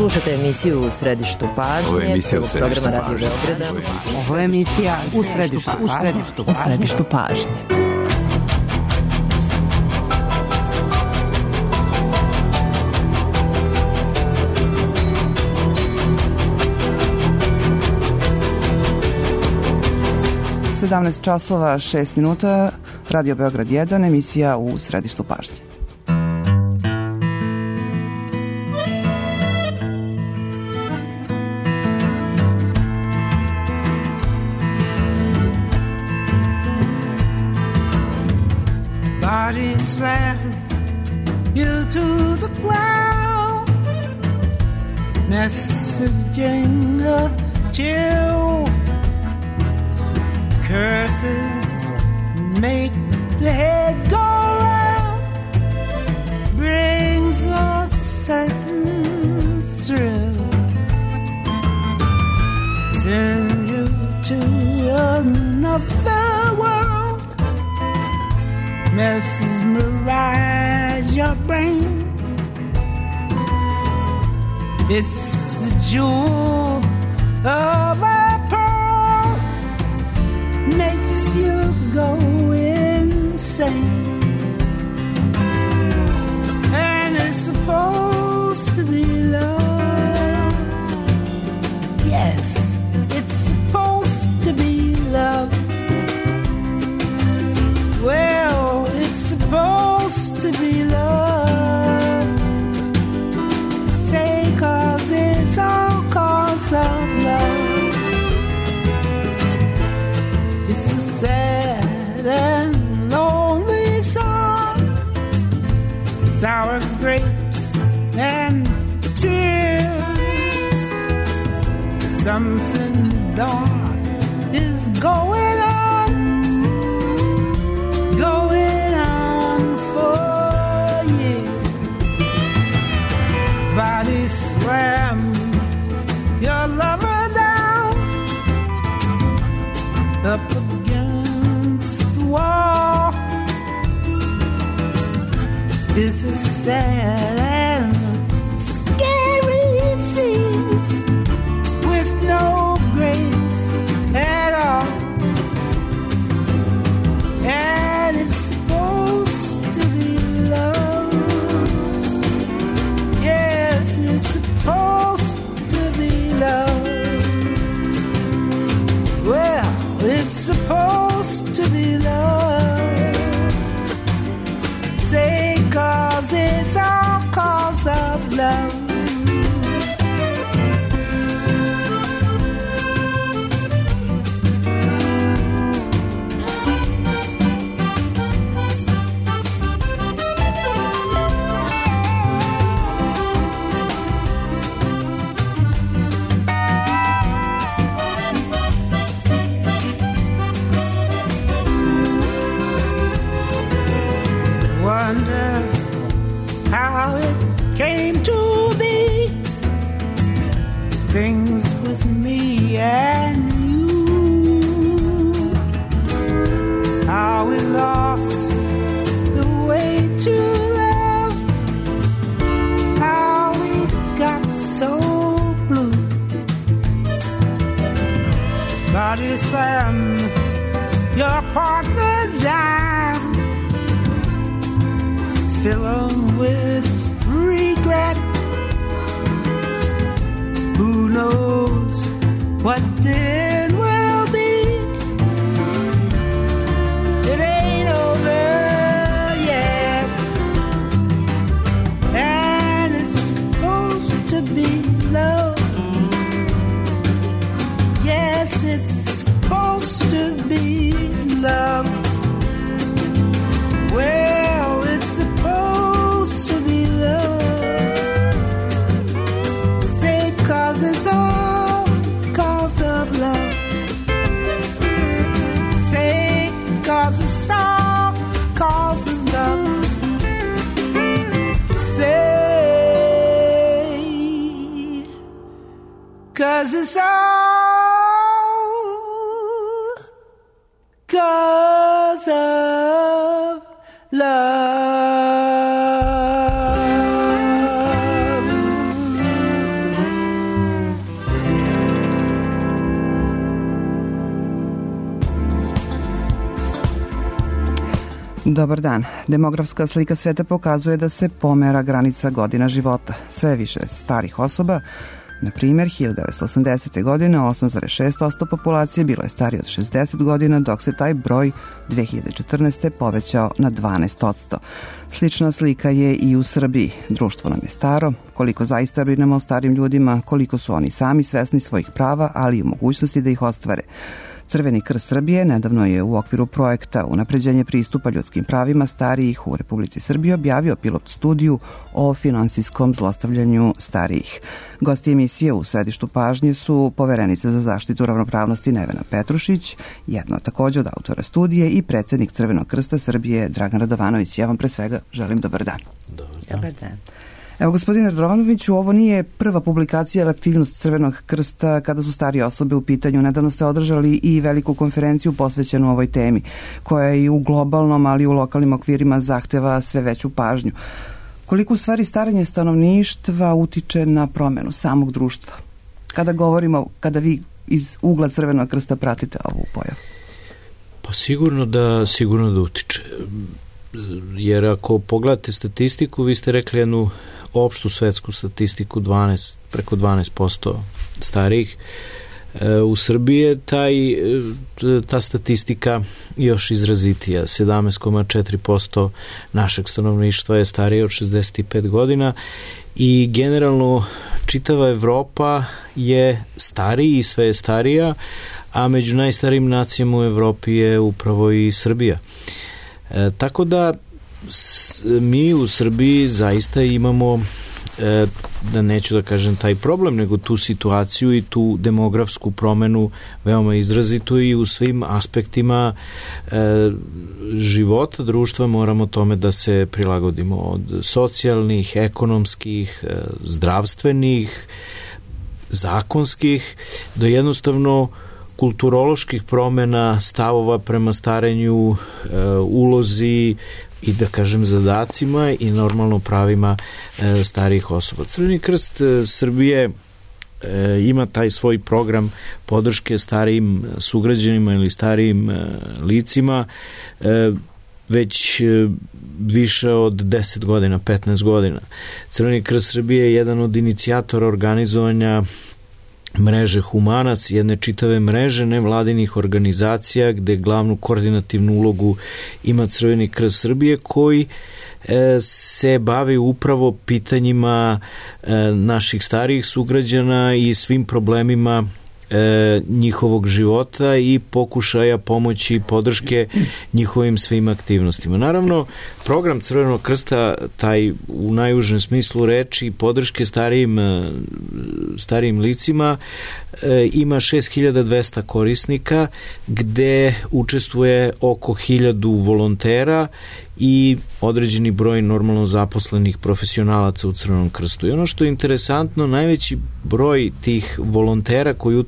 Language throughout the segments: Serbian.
Slušate emisiju U središtu pažnje. Ovo je emisija U središtu programa Radio pažnje. Beograda. Ovo je emisija U središtu pažnje. časova 6 minuta, Radio Beograd 1, emisija U središtu pažnje. Body slam you to the ground, messaging a chill. Curses make the head go round, brings a certain thrill, send you to another world, mesmerize your brain. It's the jewel of a pearl, makes you go insane, and it's supposed to be love. Yes, it's supposed to be love. Well, it's supposed to be love. Say 'cause it's all 'cause of love. It's a sad and lonely song, sour grapes and tears. Something dark is going on for years. Body slam your lover down, up against the wall. It's a sad and scary scene with no grace at all, and it's supposed to be love. Yes, it's supposed to be love. Well, it's supposed to be love. Say 'cause it's all 'cause of love. Wonder how it came to be, things with me and you, how we lost the way to love, how we got so blue. Body slam your partner down, fill 'em with regret. Who knows what then will be? It ain't over yet, and it's supposed to be love. Yes, it's supposed to be love. Well, it's supposed to be love. Say 'cause it's all 'cause of love. Say 'cause it's all 'cause of love. Say 'cause it's all 'cause of love. Dobar dan. Demografska slika sveta pokazuje da se pomera granica godina života. Sve više starih osoba. Na primjer, 1980. godine 8,6% populacije bilo je starije od 60 godina, dok se taj broj 2014. povećao na 12%. Slična slika je i u Srbiji. Društvo nam je staro, koliko zaista brinemo o starim ljudima, koliko su oni sami svesni svojih prava, ali i mogućnosti da ih ostvare. Crveni krst Srbije nedavno je u okviru projekta Unapređenje pristupa ljudskim pravima starijih u Republici Srbiji objavio pilot studiju o finansijskom zlostavljanju starijih. Gosti emisije u središtu pažnje su poverenica za zaštitu ravnopravnosti Nevena Petrušić, jedna također od autora studije i predsjednik Crvenog krsta Srbije Dragan Radovanović. Ja vam pre svega želim dobar dan. Dobar dan. Evo, gospodine Radovanoviću, ovo nije prva publikacija ili aktivnost Crvenog krsta kada su starije osobe u pitanju. Nedavno ste održali i veliku konferenciju posvećenu ovoj temi, koja i u globalnom, ali i u lokalnim okvirima zahteva sve veću pažnju. Koliko u stvari starenje stanovništva utiče na promenu samog društva? Kada vi iz ugla Crvenog krsta pratite ovu pojavu? Pa sigurno da utiče. Jer ako pogledate statistiku, vi ste rekli jednu opštu svetsku statistiku, preko 12% starijih. U Srbiji je ta statistika još izrazitija. 17,4% našeg stanovništva je starije od 65 godina i generalno čitava Evropa je stariji i sve je starija, a među najstarijim nacijama u Evropi je upravo i Srbija. Tako da mi u Srbiji zaista imamo, da neću da kažem taj problem, nego tu situaciju i tu demografsku promenu veoma izrazitu i u svim aspektima života društva moramo tome da se prilagodimo, od socijalnih, ekonomskih, zdravstvenih, zakonskih, do jednostavno kulturoloških promena, stavova prema starenju, ulozi i da kažem zadacima i normalno pravima starijih osoba. Crveni krst Srbije ima taj svoj program podrške starijim sugrađanima ili starijim licima već više od 10 godina, 15 godina. Crveni krst Srbije je jedan od inicijatora organizovanja mreže Humanac, jedne čitave mreže nevladinih organizacija gde glavnu koordinativnu ulogu ima Crveni krst Srbije, koji se bavi upravo pitanjima naših starijih sugrađana i svim problemima njihovog života i pokušaja pomoći i podrške njihovim svim aktivnostima. Naravno, program Crvenog krsta, taj u najužem smislu reči, podrške starijim licima, ima 6200 korisnika, gde učestvuje oko 1000 volontera i određeni broj normalno zaposlenih profesionalaca u Crvenom krstu. I ono što je interesantno, najveći broj tih volontera koji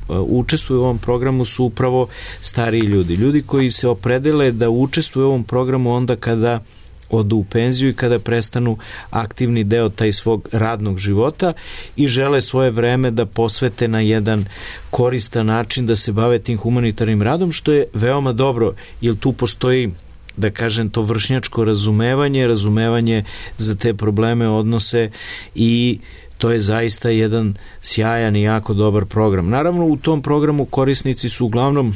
učestvuju u ovom programu su upravo stariji ljudi. Ljudi koji se opredele da učestvuju u ovom programu onda kada odu u penziju i kada prestanu aktivni deo taj svog radnog života i žele svoje vreme da posvete na jedan koristan način da se bave tim humanitarnim radom, što je veoma dobro, jer tu postoji, da kažem, to vršnjačko razumevanje za te probleme, odnose, i to je zaista jedan sjajan i jako dobar program. Naravno, u tom programu korisnici su uglavnom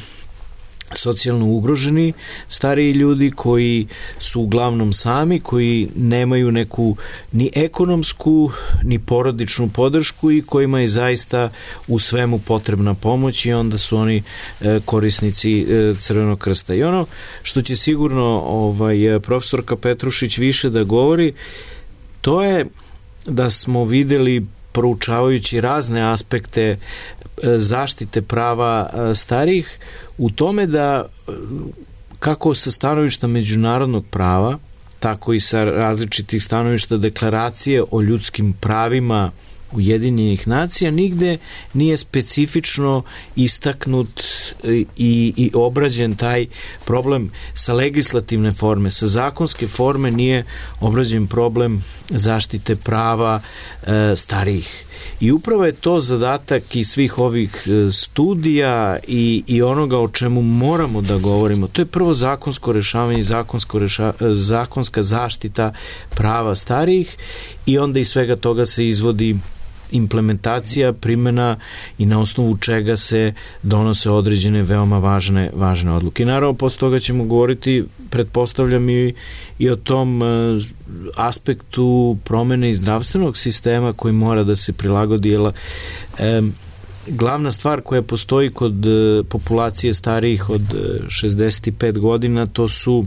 socijalno ugroženi stariji ljudi koji su uglavnom sami, koji nemaju neku ni ekonomsku ni porodičnu podršku i kojima je zaista u svemu potrebna pomoć, i onda su oni korisnici Crvenog krsta. I ono što će sigurno profesorka Petrušić više da govori, to je da smo videli, proučavajući razne aspekte zaštite prava starijih, u tome da kako sa stanovišta međunarodnog prava, tako i sa različitih stanovišta deklaracije o ljudskim pravima Ujedinjenih nacija nigde nije specifično istaknut i obrađen taj problem sa legislativne forme, sa zakonske forme nije obrađen problem zaštite prava starijih. I upravo je to zadatak i svih ovih studija i onoga o čemu moramo da govorimo. To je prvo zakonsko rešavanje, zakonska zaštita prava starijih i onda iz svega toga se izvodi implementacija, primjena i na osnovu čega se donose određene veoma važne odluke. I naravno, posle toga ćemo govoriti, pretpostavljam, i o tom aspektu promene i zdravstvenog sistema koji mora da se prilagodi. Glavna stvar koja postoji kod populacije starijih od 65 godina, to su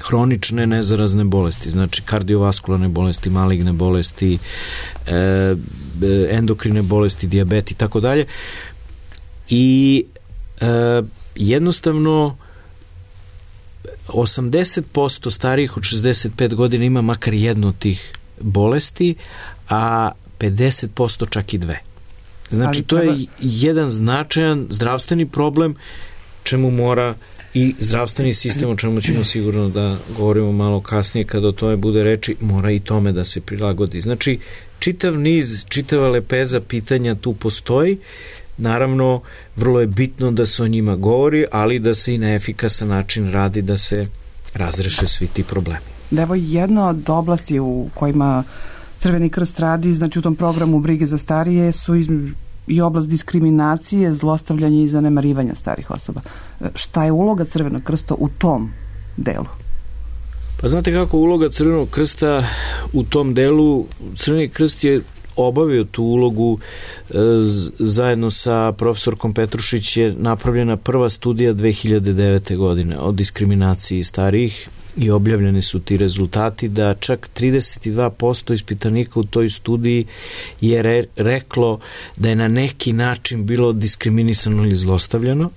hronične nezarazne bolesti, znači kardiovaskularne bolesti, maligne bolesti, endokrine bolesti, dijabet i tako dalje. I jednostavno 80% starijih od 65 godina ima makar jednu od tih bolesti, a 50% čak i dve. Znači, to je jedan značajan zdravstveni problem čemu mora i zdravstveni sistem, o čemu ćemo sigurno da govorimo malo kasnije kada o tome bude reči, mora i tome da se prilagodi. Znači, čitava lepeza pitanja tu postoji. Naravno, vrlo je bitno da se o njima govori, ali da se i na efikasan način radi da se razreše svi ti problemi. Evo, jedna od oblasti u kojima Crveni krst radi, znači u tom programu brige za starije, su i oblast diskriminacije, zlostavljanja i zanemarivanja starih osoba. Šta je uloga Crvenog krsta u tom delu? Pa znate kako uloga Crvenog krsta u tom delu? Crveni krst je obavio tu ulogu zajedno sa profesorkom Petrušić je napravljena prva studija 2009. godine o diskriminaciji starijih i objavljeni su ti rezultati da čak 32% ispitanika u toj studiji je reklo da je na neki način bilo diskriminisano ili zlostavljano.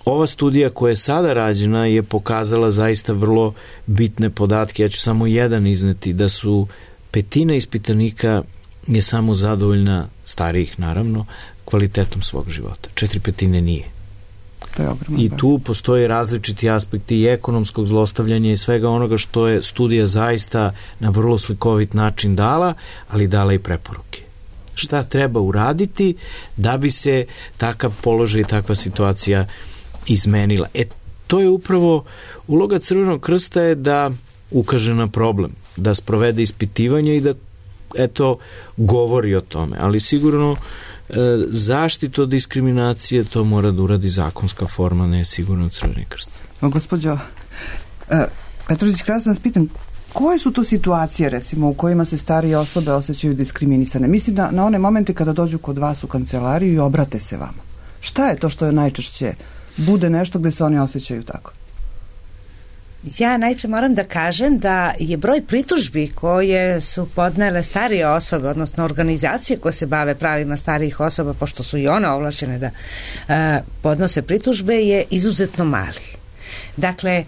Ova studija koja je sada rađena je pokazala zaista vrlo bitne podatke. Ja ću samo jedan izneti, da su petina ispitanika je samo zadovoljna, starijih naravno, kvalitetom svog života. 4/5 nije. I tu postoje različiti aspekti i ekonomskog zlostavljanja i svega onoga što je studija zaista na vrlo slikovit način dala, ali dala i preporuke. Šta treba uraditi da bi se takav položaj i takva situacija izmenila? To je upravo uloga Crvenog krsta, je da ukaže na problem, da sprovede ispitivanje i da govori o tome, ali sigurno zaštitu od diskriminacije to mora da uradi zakonska forma, ne sigurno Crveni krst. Gospođo Petrušić, kada sam vas pitan, koje su to situacije, recimo, u kojima se starije osobe osjećaju diskriminisane? Mislim na one momente kada dođu kod vas u kancelariju i obrate se vama. Šta je to što je najčešće bude nešto gde se oni osjećaju tako? Ja najčešće moram da kažem da je broj pritužbi koje su podnele starije osobe, odnosno organizacije koje se bave pravima starijih osoba, pošto su i one ovlašćene da podnose pritužbe, je izuzetno mali. Dakle,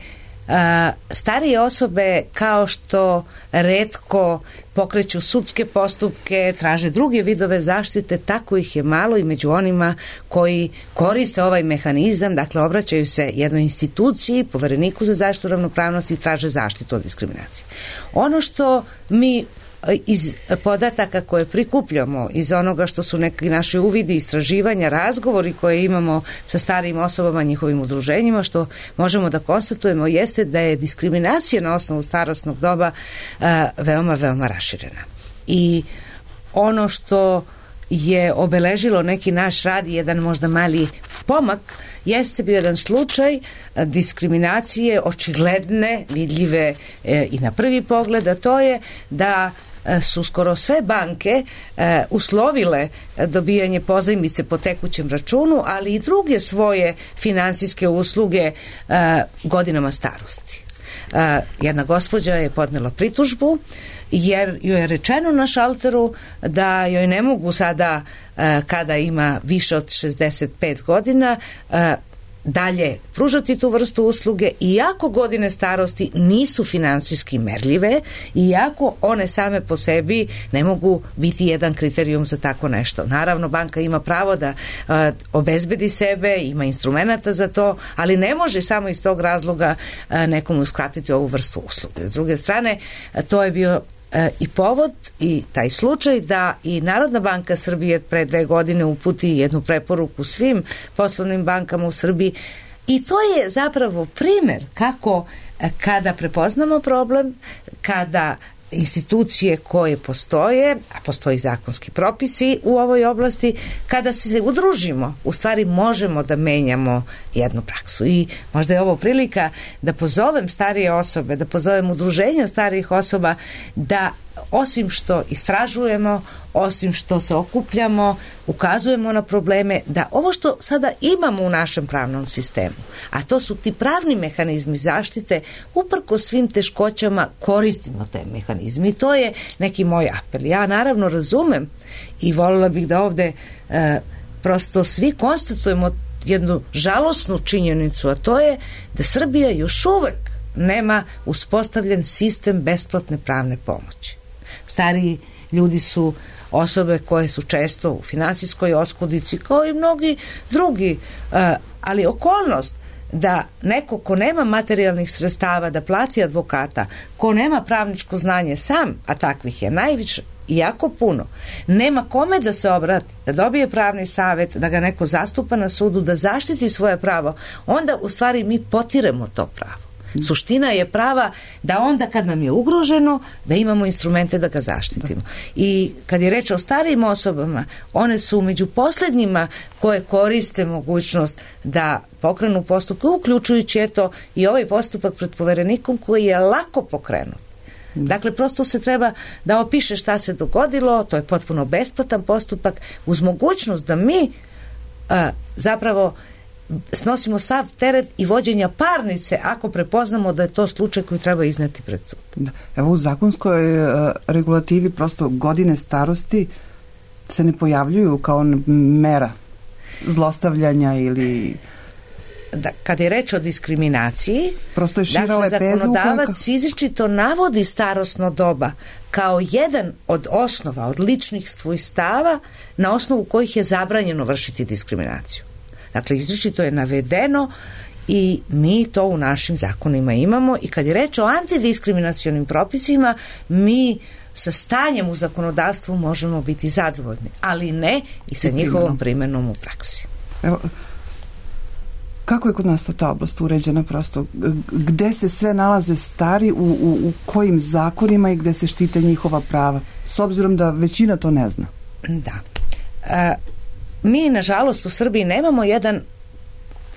starije osobe, kao što retko pokreću sudske postupke, traže druge vidove zaštite, tako ih je malo i među onima koji koriste ovaj mehanizam, dakle obraćaju se jednoj instituciji, Povereniku za zaštitu ravnopravnosti, i traže zaštitu od diskriminacije. Ono što mi iz podataka koje prikupljamo, iz onoga što su neki naši uvidi, istraživanja, razgovori koje imamo sa starijim osobama, njihovim udruženjima, što možemo da konstatujemo jeste da je diskriminacija na osnovu starosnog doba veoma, veoma raširena. I ono što je obeležilo neki naš rad, jedan možda mali pomak, jeste bio jedan slučaj diskriminacije očigledne, vidljive i na prvi pogled, a to je da su skoro sve banke uslovile dobijanje pozajmice po tekućem računu, ali i druge svoje finansijske usluge godinama starosti. Jedna gospođa je podnela pritužbu jer joj je rečeno na šalteru da joj ne mogu sada, kada ima više od 65 godina, dalje pružati tu vrstu usluge, iako godine starosti nisu finansijski merljive, iako one same po sebi ne mogu biti jedan kriterijum za tako nešto. Naravno, banka ima pravo da obezbedi sebe, ima instrumenta za to, ali ne može samo iz tog razloga nekomu uskratiti ovu vrstu usluge. S druge strane, to je bio i povod i taj slučaj da i Narodna banka Srbije pre 2 godine uputi jednu preporuku svim poslovnim bankama u Srbiji, i to je zapravo primer kako kada prepoznamo problem, kada institucije koje postoje, a postoji zakonski propisi u ovoj oblasti, kada se udružimo, u stvari možemo da menjamo jednu praksu. I možda je ovo prilika da pozovem starije osobe, da pozovem udruženja starijih osoba, da osim što istražujemo, osim što se okupljamo, ukazujemo na probleme, da ovo što sada imamo u našem pravnom sistemu, a to su ti pravni mehanizmi zaštite, uprko svim teškoćama koristimo te mehanizme. I to je neki moj apel. Ja naravno razumem i voljela bih da ovde prosto svi konstatujemo jednu žalosnu činjenicu, a to je da Srbija još uvek nema uspostavljen sistem besplatne pravne pomoći. Stariji ljudi su osobe koje su često u finansijskoj oskudici, kao i mnogi drugi, ali okolnost da neko ko nema materijalnih sredstava da plati advokata, ko nema pravničko znanje sam, a takvih je najviše i jako puno, nema kome da se obrati, da dobije pravni savjet, da ga neko zastupa na sudu, da zaštiti svoje pravo, onda u stvari mi potiremo to pravo. Suština je prava da onda kad nam je ugroženo, da imamo instrumente da ga zaštitimo. I kad je reč o starijim osobama, one su među posljednjima koje koriste mogućnost da pokrenu postupke, uključujući eto i ovaj postupak pred poverenikom koji je lako pokrenut. Dakle, prosto se treba da opiše šta se dogodilo, to je potpuno besplatan postupak, uz mogućnost da mi zapravo snosimo sav teret i vođenja parnice ako prepoznamo da je to slučaj koji treba izneti pred sud. Da. Evo, u zakonskoj regulativi prosto godine starosti se ne pojavljuju kao mera zlostavljanja ili... Da, kada je reč o diskriminaciji, prosto je šira lepezu, zakonodavac izričito navodi starosno doba kao jedan od osnova, od ličnih svojstava na osnovu kojih je zabranjeno vršiti diskriminaciju. Dakle, izričito je navedeno i mi to u našim zakonima imamo, i kad je reč o antidiskriminacionim propisima, mi sa stanjem u zakonodavstvu možemo biti zadovoljni, ali ne i sa njihovom primenom u praksi. Evo, kako je kod nas ta oblast uređena prosto? Gde se sve nalaze stari, u kojim zakonima i gde se štite njihova prava? S obzirom da većina to ne zna. Da. Mi, nažalost, u Srbiji nemamo jedan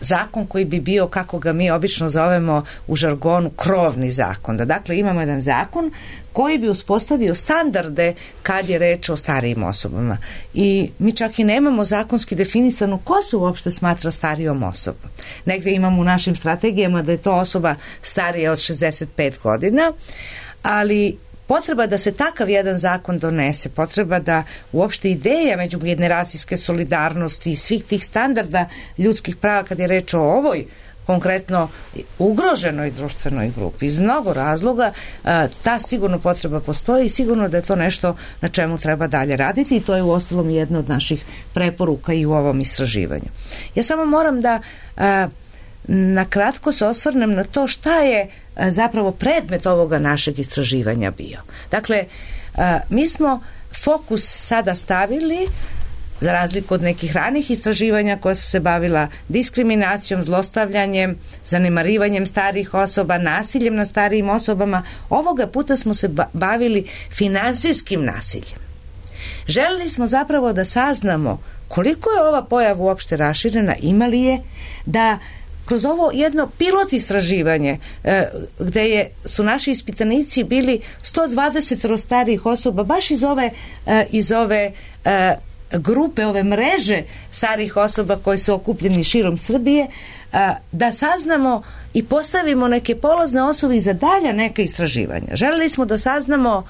zakon koji bi bio, kako ga mi obično zovemo u žargonu, krovni zakon. Dakle, imamo jedan zakon koji bi uspostavio standarde kad je reč o starijim osobama. I mi čak i nemamo zakonski definisano ko se uopšte smatra starijom osobom. Negde imamo u našim strategijama da je to osoba starija od 65 godina, ali potreba da se takav jedan zakon donese, potreba da uopšte ideja međugeneracijske solidarnosti i svih tih standarda ljudskih prava kad je reč o ovoj konkretno ugroženoj društvenoj grupi iz mnogo razloga, ta sigurno potreba postoji i sigurno da je to nešto na čemu treba dalje raditi, i to je uostalom jedna od naših preporuka i u ovom istraživanju. Ja samo moram da na kratko se osvrnem na to šta je zapravo predmet ovoga našeg istraživanja bio. Dakle, mi smo fokus sada stavili, za razliku od nekih ranih istraživanja koja su se bavila diskriminacijom, zlostavljanjem, zanemarivanjem starijih osoba, nasiljem na starijim osobama, ovoga puta smo se bavili finansijskim nasiljem. Želeli smo zapravo da saznamo koliko je ova pojava uopšte raširena, ima li je, da kroz ovo jedno pilot istraživanje gde su naši ispitanici bili 120 starijih osoba, baš iz ove grupe, ove mreže starijih osoba koji su okupljeni širom Srbije, da saznamo i postavimo neke polazne osnove za dalja neka istraživanja. Želeli smo da saznamo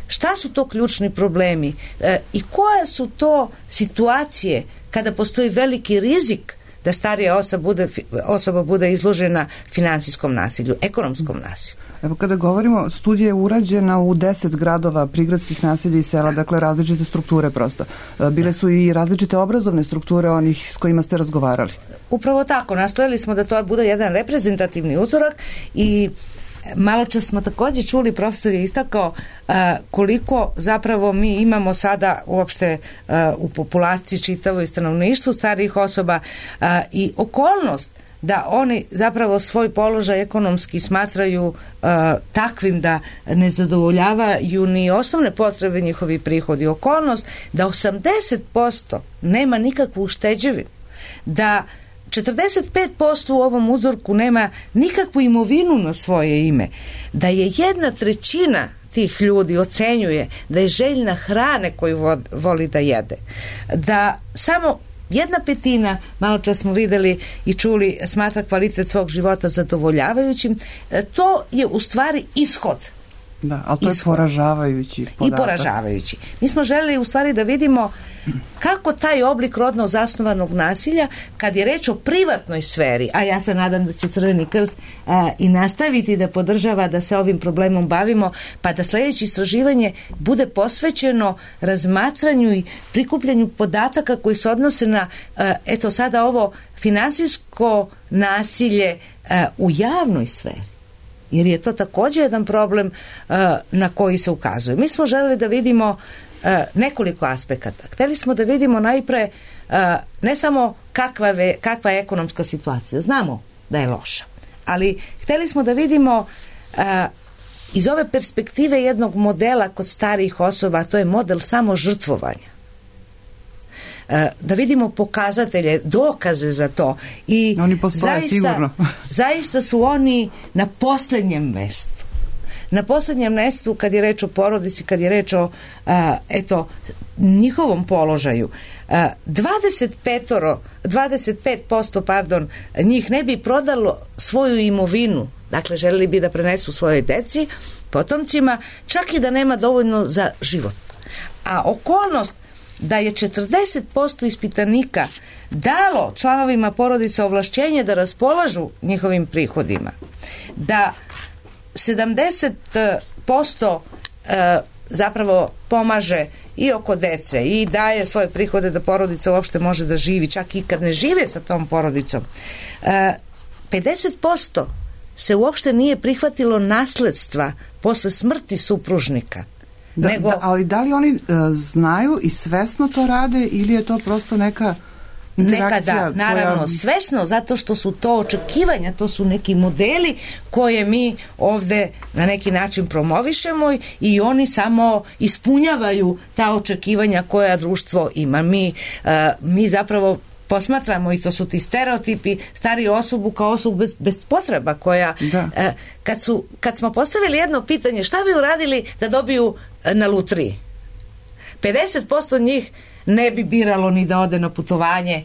šta su to ključni problemi i koje su to situacije kada postoji veliki rizik da starija osoba bude izložena finansijskom nasilju, ekonomskom nasilju. Evo kada govorimo, studija je urađena u 10 gradova prigradskih naselja i sela, dakle različite strukture prosto. Bile su i različite obrazovne strukture onih s kojima ste razgovarali. Upravo tako, nastojali smo da to bude jedan reprezentativni uzorak i malo čas smo također čuli, profesor je istakao koliko zapravo mi imamo sada uopšte u populaciji čitavoj stanovništvu starijih osoba i okolnost da oni zapravo svoj položaj ekonomski smatraju takvim da ne zadovoljavaju ni osnovne potrebe njihovi prihodi. Okolnost da 80% nema nikakvu ušteđevinu, da 45% u ovom uzorku nema nikakvu imovinu na svoje ime, da je 1/3 tih ljudi ocenjuje da je željna hrane koju voli da jede, da samo 1/5, malo čas smo videli i čuli, smatra kvalitet svog života zadovoljavajućim. To je u stvari ishod. Da, ali to je poražavajući podatak. I poražavajući. Mi smo želeli u stvari da vidimo kako taj oblik rodno zasnovanog nasilja, kad je reč o privatnoj sferi, a ja se nadam da će Crveni krst i nastaviti da podržava da se ovim problemom bavimo, pa da sljedeće istraživanje bude posvećeno razmatranju i prikupljanju podataka koji se odnose na eto sada ovo finansijsko nasilje u javnoj sferi. Jer je to također jedan problem na koji se ukazuje. Mi smo želeli da vidimo nekoliko aspekata. Hteli smo da vidimo najpre ne samo kakva je ekonomska situacija. Znamo da je loša. Ali hteli smo da vidimo iz ove perspektive jednog modela kod starijih osoba, to je model samožrtvovanja. Da vidimo pokazatelje, dokaze za to. I oni postoje sigurno. Zaista su oni na posljednjem mestu. Na posljednjem mestu kad je reč o porodici, kad je reč o njihovom položaju. 25% njih ne bi prodalo svoju imovinu. Dakle, želeli bi da prenesu svojoj deci, potomcima, čak i da nema dovoljno za život. A okolnost da je 40% ispitanika dalo članovima porodice ovlašćenje da raspolažu njihovim prihodima, da 70% zapravo pomaže i oko dece i daje svoje prihode da porodica uopšte može da živi, čak i kad ne žive sa tom porodicom. 50% se uopšte nije prihvatilo nasledstva posle smrti supružnika. Ali da li oni znaju i svesno to rade ili je to prosto neka interakcija? Nekada, naravno, svesno, zato što su to očekivanja, to su neki modeli koje mi ovde na neki način promovišemo i oni samo ispunjavaju ta očekivanja koja društvo ima. Mi zapravo posmatramo, i to su ti stereotipi, stariju osobu kao osobu bez potreba koja kad smo postavili jedno pitanje šta bi uradili da dobiju na lutriji, 50% njih ne bi biralo ni da ode na putovanje,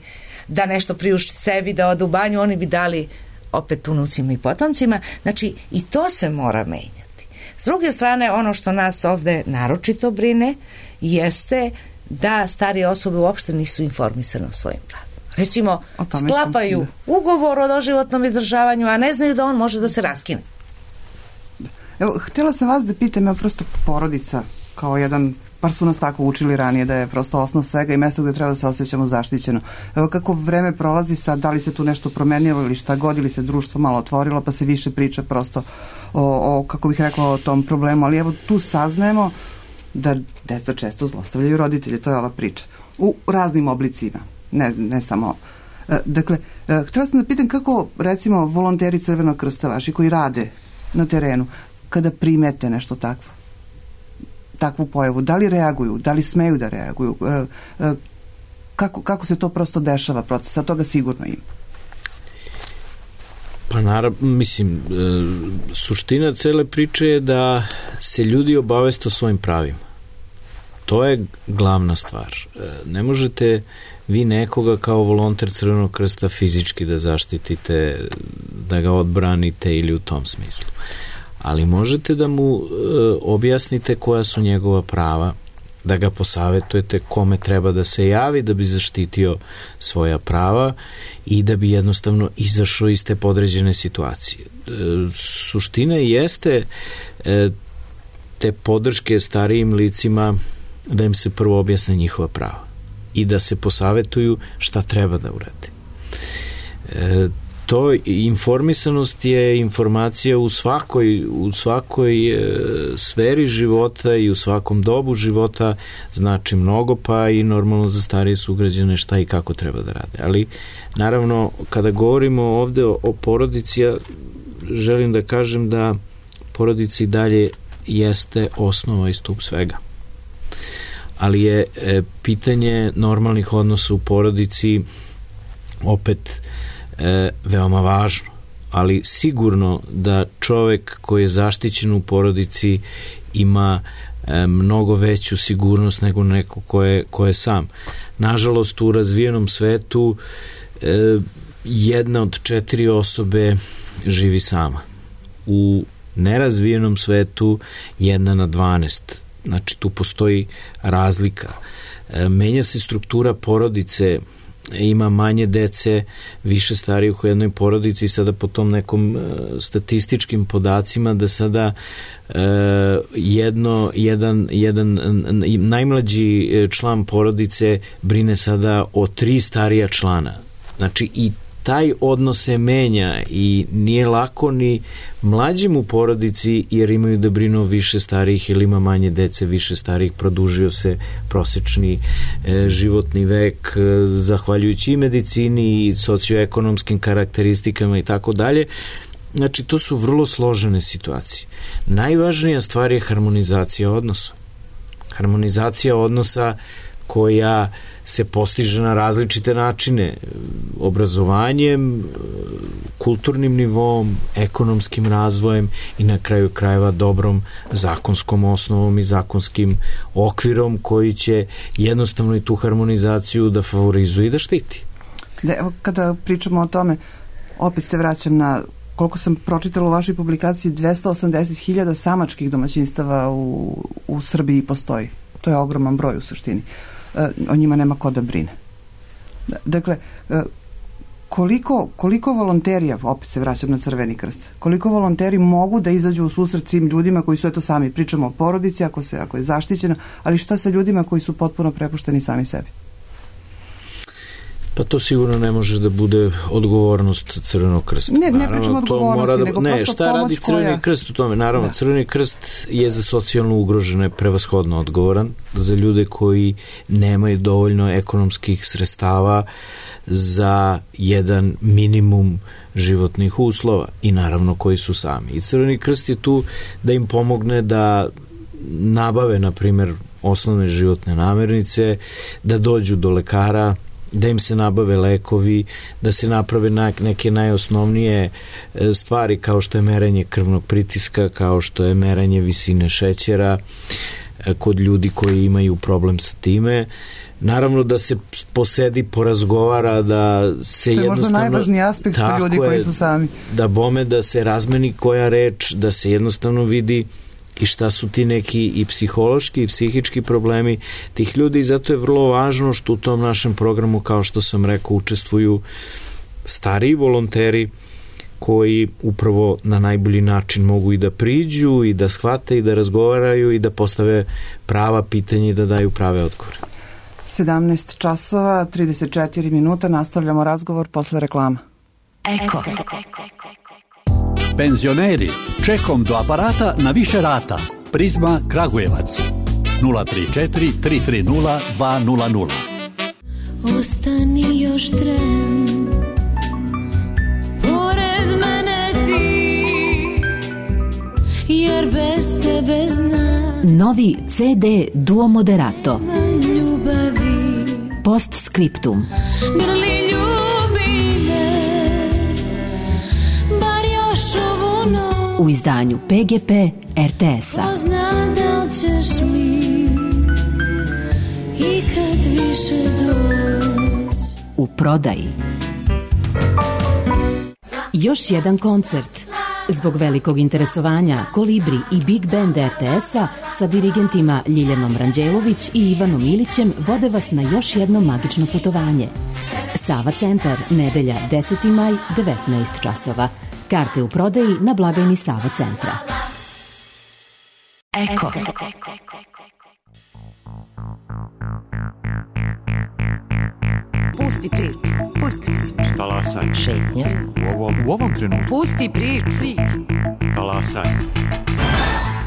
da nešto priušti sebi, da ode u banju, oni bi dali opet unucima i potomcima. Znači i to se mora menjati. S druge strane, ono što nas ovde naročito brine jeste da starije osobe uopšte nisu informisane o svojim pravima. Recimo, sklapaju ugovor o doživotnom izdržavanju, a ne znaju da on može da se raskine. Evo, htjela sam vas da pitam, prosto porodica kao jedan, bar su nas tako učili ranije, da je prosto osnov svega i mjesto gdje treba da se osjećamo zaštićeno. Evo, kako vreme prolazi sad, da li se tu nešto promenilo ili šta god, ili se društvo malo otvorilo pa se više priča prosto o kako bih rekla, o tom problemu, ali evo tu saznajemo da deca često zlostavljaju roditelje, to je ova priča. U raznim oblicima. Ne samo. Dakle, htjela sam da pitam kako, recimo, volonteri Crvenog krsta vaši koji rade na terenu, kada primete nešto takvu pojavu, da li reaguju, da li smeju da reaguju, kako se to prosto dešava proces, a toga sigurno ima? Pa naravno, mislim, suština cele priče je da se ljudi obaveste o svojim pravima. To je glavna stvar. Ne možete vi nekoga kao volonter Crvenog krsta fizički da zaštitite, da ga odbranite ili u tom smislu. Ali možete da mu objasnite koja su njegova prava da ga posavetujete kome treba da se javi da bi zaštitio svoja prava i da bi jednostavno izašao iz te podređene situacije. Suština jeste te podrške starijim licima da im se prvo objasne njihova prava i da se posavetuju šta treba da urade. To informisanost je informacija u svakoj sferi života i u svakom dobu života znači mnogo, pa i normalno za starije sugrađane šta i kako treba da rade. Ali naravno kada govorimo ovde o porodici, ja želim da kažem da porodica i dalje jeste osnova i stup svega. Ali je pitanje normalnih odnosa u porodici opet veoma važno, ali sigurno da čovek koji je zaštićen u porodici ima mnogo veću sigurnost nego neko ko je sam. Nažalost, u razvijenom svetu jedna od 4 osobe živi sama. U nerazvijenom svetu 1 na 12. Znači, tu postoji razlika. Menja se struktura porodice, ima manje dece, više starijih u jednoj porodici, sada po tom nekom statističkim podacima da sada jedan najmlađi član porodice brine sada o 3 starija člana. Znači i taj odnos se menja i nije lako ni mlađim u porodici jer imaju da brinu više starijih ili ima manje dece, više starijih, produžio se prosečni životni vek zahvaljujući i medicini i socioekonomskim karakteristikama i tako dalje. Znači to su vrlo složene situacije. Najvažnija stvar je harmonizacija odnosa. Harmonizacija odnosa koja se postiže na različite načine, obrazovanjem, kulturnim nivom, ekonomskim razvojem i na kraju krajeva dobrom zakonskom osnovom i zakonskim okvirom koji će jednostavno i tu harmonizaciju da favorizuje i da štiti. Evo, kada pričamo o tome, opet se vraćam na koliko sam pročitala u vašoj publikaciji, 280.000 samačkih domaćinstava u Srbiji postoji. To je ogroman broj u suštini. O njima nema ko da brine. Dakle, koliko volonterija, opet se vraćam na Crveni krst, koliko volonteri mogu da izađu u susret svim ljudima koji su, eto sami pričamo o porodici, ako je zaštićena, ali šta sa ljudima koji su potpuno prepušteni sami sebi? Pa to sigurno ne može da bude odgovornost Crvenog krsta. Ne pričamo odgovornosti, nego prosto šta radi Crveni krst u tome? Naravno, da. Crveni krst je za socijalno ugrožene prevashodno odgovoran, za ljude koji nemaju dovoljno ekonomskih sredstava za jedan minimum životnih uslova i naravno koji su sami. I Crveni krst je tu da im pomogne da nabave, na primjer, osnovne životne namirnice, da dođu do lekara, da im se nabave lekovi, da se naprave neke najosnovnije stvari kao što je merenje krvnog pritiska, kao što je merenje visine šećera kod ljudi koji imaju problem sa time. Naravno da se posedi, porazgovara, da se jednostavno... To je možda najvažniji aspekt kod ljudi koji su sami. Da bome, da se razmeni koja reč, da se jednostavno vidi i šta su ti neki i psihološki i psihički problemi tih ljudi i zato je vrlo važno što u tom našem programu, kao što sam rekao, učestvuju stariji volonteri koji upravo na najbolji način mogu i da priđu i da shvate i da razgovaraju i da postave prava pitanja i da daju prave odgovore. 17 časova, 34 minuta, nastavljamo razgovor posle reklama. Eko. Penzioneri, čekom do aparata na više rata. Prizma Kragujevac 034 330 200. Ostani još tren, pored mene ti, jer bez tebe znam. Novi CD Duo Moderato. Ljubavi. Postscriptum. Grli ljubi me, bar još ovu noć. U izdanju PGP RTS-a. Pozna da ćeš mi i kad više doć. U prodaji. Još jedan koncert. Zbog velikog interesovanja Kolibri i Big Band RTS-a sa dirigentima Ljiljanom Ranđelović i Ivanom Ilićem vode vas na još jedno magično putovanje. Sava centar, nedelja 10. maj, 19 časova. Karte u prodaji na blagajni Sava centra. Eko. Pusti priču. Pusti priču. Talasaj. Šetnja. U ovom trenutku. Pusti priču. Talasaj.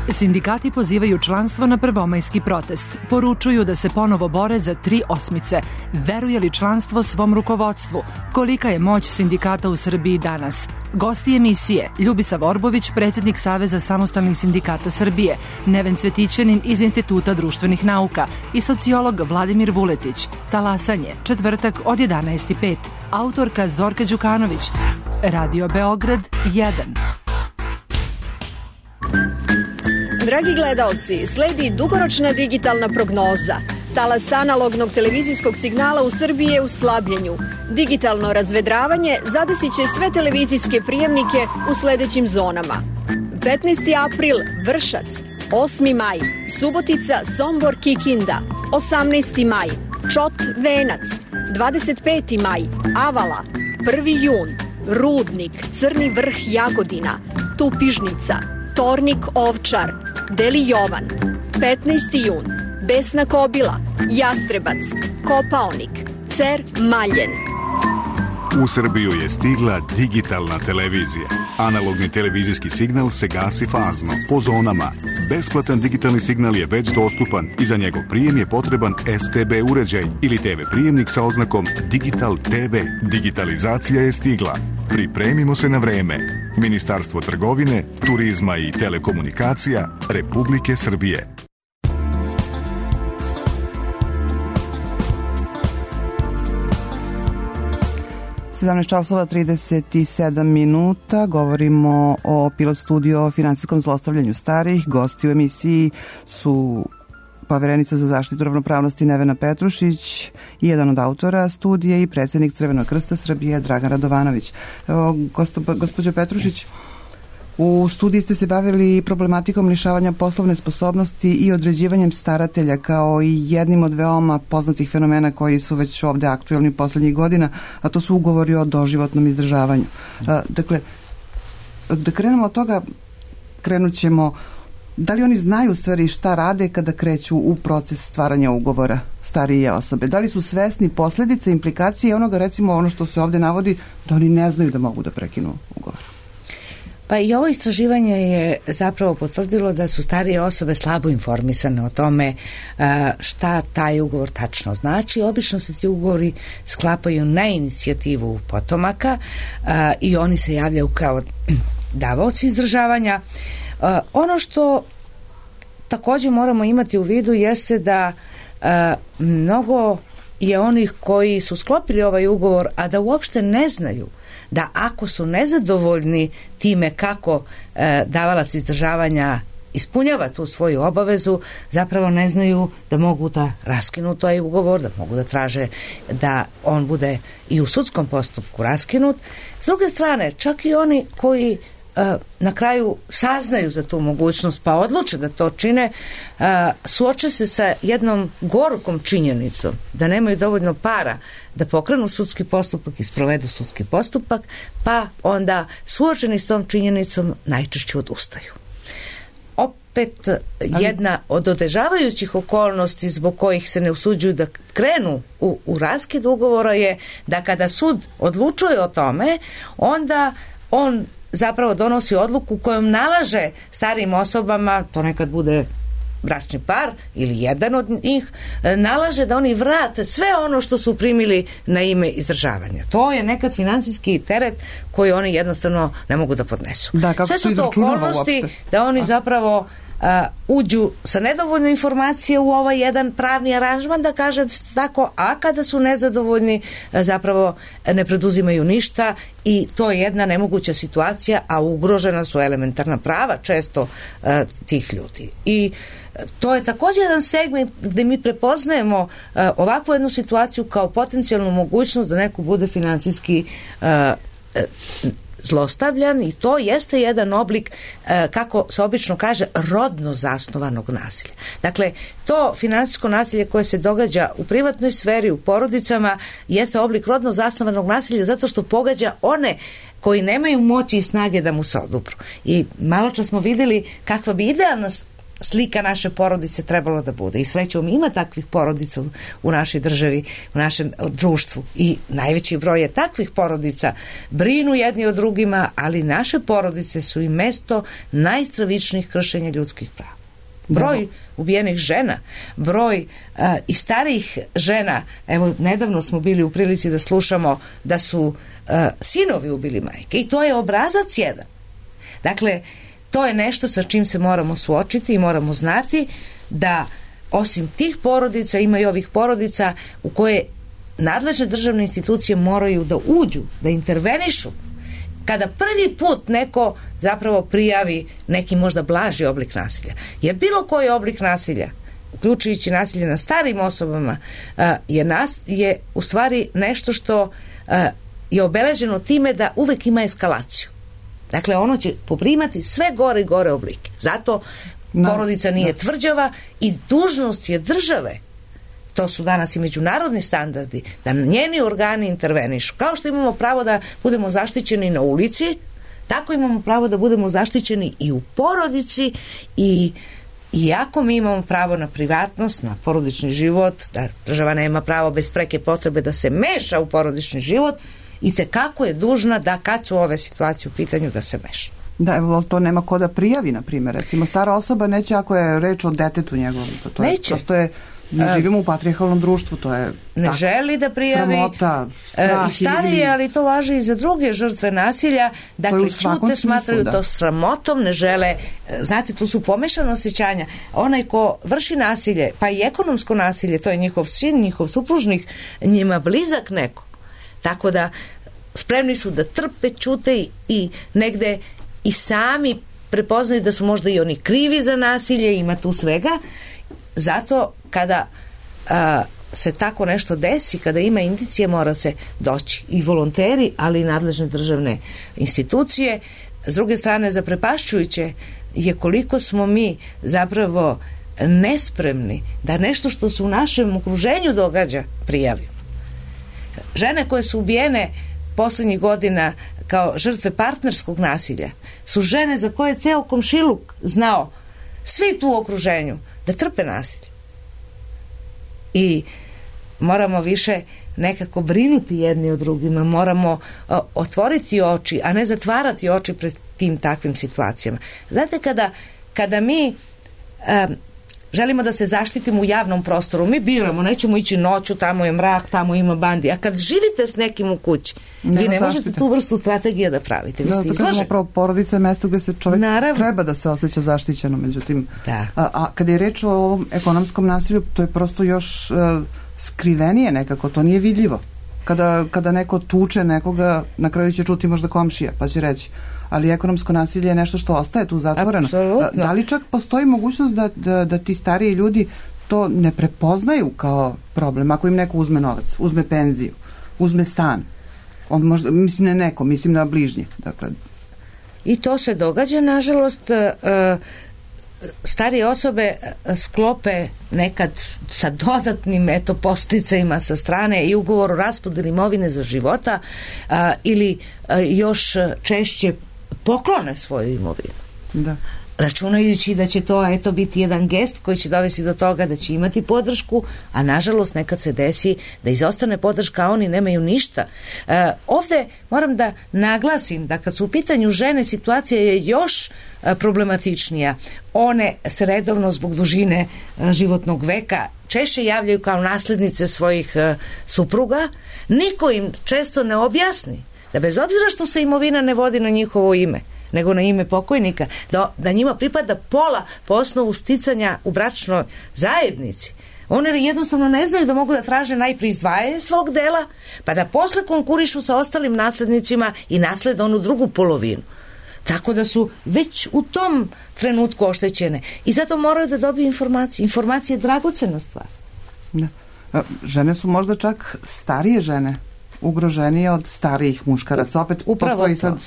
Sindikati pozivaju članstvo na prvomajski protest. Poručuju da se ponovo bore za 3 osmice. Veruje li članstvo svom rukovodstvu? Kolika je moć sindikata u Srbiji danas? Gosti emisije: Ljubisav Orbović, predsjednik Saveza samostalnih sindikata Srbije, Neven Cvetićanin iz Instituta društvenih nauka i sociolog Vladimir Vuletić. Talasanje, četvrtak od 11:05. Autorka Zorka Đukanović. Radio Beograd 1. Dragi gledaoci, sledi dugoročna digitalna prognoza. Talas analognog televizijskog signala u Srbiji je u slabljenju. Digitalno razvedravanje zadesit će sve televizijske prijemnike u sledećim zonama. 15. april Vršac, 8. maj Subotica, Sombor, Kikinda, 18. maj Čot, Venac, 25. maj Avala, 1. jun Rudnik, Crni Vrh, Jagodina, Tupižnica, Tornik, Ovčar, Deli Jovan, 15. jun Besna Kobila, Jastrebac, Kopaonik, Cer, Maljen. U Srbiju je stigla digitalna televizija. Analogni televizijski signal se gasi fazno, po zonama. Besplatan digitalni signal je već dostupan i za njegov prijem je potreban STB uređaj ili TV prijemnik sa oznakom Digital TV. Digitalizacija je stigla. Pripremimo se na vreme. Ministarstvo trgovine, turizma i telekomunikacija Republike Srbije. 17:37. Govorimo o Pilot studiju o finansijskom zlostavljanju starijih. Gosti u emisiji su poverenica za zaštitu ravnopravnosti Nevena Petrušić i jedan od autora studije i predsjednik Crvenog krsta Srbije Dragan Radovanović. Evo, gospođo Petrušić, u studiji ste se bavili problematikom lišavanja poslovne sposobnosti i određivanjem staratelja kao i jednim od veoma poznatih fenomena koji su već ovde aktuelni poslednjih godina, a to su ugovori o doživotnom izdržavanju. Dakle, da krenemo od toga, krenut ćemo, da li oni znaju u stvari šta rade kada kreću u proces stvaranja ugovora starije osobe? Da li su svesni posledice, implikacije onoga, recimo ono što se ovde navodi, da oni ne znaju da mogu da prekinu ugovor? Pa i ovo istraživanje je zapravo potvrdilo da su starije osobe slabo informisane o tome šta taj ugovor tačno znači. Obično se ti ugovori sklapaju na inicijativu potomaka i oni se javljaju kao davaoci izdržavanja. Ono što također moramo imati u vidu jeste da mnogo je onih koji su sklopili ovaj ugovor, a da uopšte ne znaju da ako su nezadovoljni time kako davalac izdržavanja ispunjava tu svoju obavezu, zapravo ne znaju da mogu da raskinu taj ugovor, da mogu da traže da on bude i u sudskom postupku raskinut. S druge strane, čak i oni koji na kraju saznaju za tu mogućnost pa odluče da to čine, suoče se sa jednom gorukom činjenicom da nemaju dovoljno para da pokrenu sudski postupak i sprovedu sudski postupak, pa onda suočeni s tom činjenicom najčešće odustaju. Opet jedna od otežavajućih okolnosti zbog kojih se ne usuđuju da krenu u raskid ugovora je da kada sud odlučuje o tome, onda on zapravo donosi odluku kojom nalaže starijim osobama, to nekad bude bračni par ili jedan od njih, nalaže da oni vrate sve ono što su primili na ime izdržavanja. To je nekad financijski teret koji oni jednostavno ne mogu da podnesu. Da, kako sve su to okolnosti da oni zapravo uđu sa nedovoljno informacije u ovaj jedan pravni aranžman, da kažem tako, a kada su nezadovoljni zapravo ne preduzimaju ništa i to je jedna nemoguća situacija, a ugrožena su elementarna prava često tih ljudi. I to je također jedan segment gde mi prepoznajemo ovakvu jednu situaciju kao potencijalnu mogućnost da neko bude finansijski zlostavljan i to jeste jedan oblik, kako se obično kaže, rodno zasnovanog nasilja. Dakle, to finansijsko nasilje koje se događa u privatnoj sferi, u porodicama, jeste oblik rodno zasnovanog nasilja zato što pogađa one koji nemaju moći i snage da mu se odupru. I malo čas smo vidjeli kakva bi idealna slika naše porodice trebalo da bude. I srećom ima takvih porodica u našoj državi, u našem društvu. I najveći broj je takvih porodica. Brinu jedni o drugima, ali naše porodice su i mesto najstravičnijih kršenja ljudskih prava. Broj ubijenih žena, broj i starijih žena. Evo, nedavno smo bili u prilici da slušamo da su sinovi ubili majke. I to je obrazac jedan. Dakle, to je nešto sa čim se moramo suočiti i moramo znati da osim tih porodica ima i ovih porodica u koje nadležne državne institucije moraju da uđu, da intervenišu. Kada prvi put neko zapravo prijavi neki možda blaži oblik nasilja. Jer bilo koji oblik nasilja, uključujući nasilje na starim osobama, je u stvari nešto što je obeleženo time da uvek ima eskalaciju. Dakle, ono će poprimati sve gore i gore oblike. Zato porodica nije tvrđava i dužnost je države, to su danas i međunarodni standardi, da njeni organi intervenišu. Kao što imamo pravo da budemo zaštićeni na ulici, tako imamo pravo da budemo zaštićeni i u porodici i iako mi imamo pravo na privatnost, na porodični život, da država nema pravo bez preke potrebe da se meša u porodični život, i tekako je dužna da kad su ove situacije u pitanju da se meša. Da, evo, to nema ko da prijavi, na primjer. Recimo, stara osoba neće ako je reč o detetu njegovom. To neće. Prosto je, ne živimo u patrijarhalnom društvu, to je ne želi da prijavi, sramota, strah, i starije, ali to važi i za druge žrtve nasilja. Dakle, čute, smatraju to sramotom, ne žele. Znate, tu su pomešana osjećanja. Onaj ko vrši nasilje, pa i ekonomsko nasilje, to je njihov sin, njihov supružnik, njima blizak neko. Tako da spremni su da trpe, čute i negde i sami prepoznaju da su možda i oni krivi za nasilje, ima tu svega. Zato kada se tako nešto desi, kada ima indicije, mora se doći i volonteri, ali i nadležne državne institucije. S druge strane, zaprepašćujuće je koliko smo mi zapravo nespremni da nešto što se u našem okruženju događa prijavimo. Žene koje su ubijene poslednjih godina kao žrtve partnerskog nasilja su žene za koje je ceo komšiluk znao, svi tu u okruženju, da trpe nasilje. I moramo više nekako brinuti jedni o drugima, moramo otvoriti oči, a ne zatvarati oči pred tim takvim situacijama. Znate, kada mi želimo da se zaštitimo u javnom prostoru, mi biramo, nećemo ići noću, tamo je mrak, tamo ima bandi, a kad živite s nekim u kući, vi ne možete tu vrstu strategije da pravite. Vi ste izloženi. Pravo, porodica je mesto gde se čovjek treba da se osjeća zaštićeno, međutim, a kada je reč o ovom ekonomskom nasilju, to je prosto još skrivenije nekako, to nije vidljivo. Kada neko tuče nekoga, na kraju će čuti možda komšija, pa će reći, ali ekonomsko nasilje je nešto što ostaje tu zatvoreno. Da li čak postoji mogućnost da ti stariji ljudi to ne prepoznaju kao problem? Ako im neko uzme novac, uzme penziju, uzme stan, on možda, mislim na neko, mislim na bližnjeg. Dakle. I to se događa, nažalost, starije osobe sklope nekad sa dodatnim posticajima sa strane i ugovor o raspodeli imovine za života ili još češće poklone svoju imovinu. Da. Računajući da će to biti jedan gest koji će dovesti do toga da će imati podršku, a nažalost nekad se desi da izostane podrška, a oni nemaju ništa. Ovde moram da naglasim da kad su u pitanju žene, situacija je još problematičnija. One se redovno zbog dužine životnog veka češće javljaju kao naslednice svojih supruga. Niko im često ne objasni da bez obzira što se imovina ne vodi na njihovo ime, nego na ime pokojnika, da njima pripada pola po osnovu sticanja u bračnoj zajednici. One jednostavno ne znaju da mogu da traže najprije izdvajanje svog dela, pa da posle konkurišu sa ostalim naslednicima i naslede onu drugu polovinu. Tako da su već u tom trenutku oštećene. I zato moraju da dobiju informaciju. Informacija je dragocena stvar. Da. Žene su možda čak starije žene ugroženije od starijih muškaraca. Opet postoji sad